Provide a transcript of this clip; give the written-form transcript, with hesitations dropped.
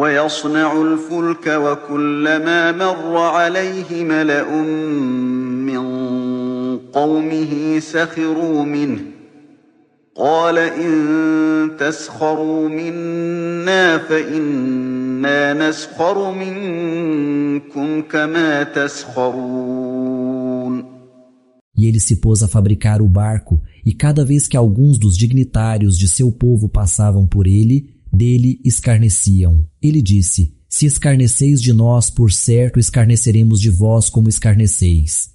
ويصنع الفلك وكلما مر عليه ملأ من قومه سخروا منه قال إن تسخروا منا فإنا نسخر منكم كما تسخرون. E ele se pôs a fabricar o barco, e cada vez que alguns dos dignitários de seu povo passavam por ele, dele escarneciam. Ele disse: se escarneceis de nós, por certo escarneceremos de vós como escarneceis.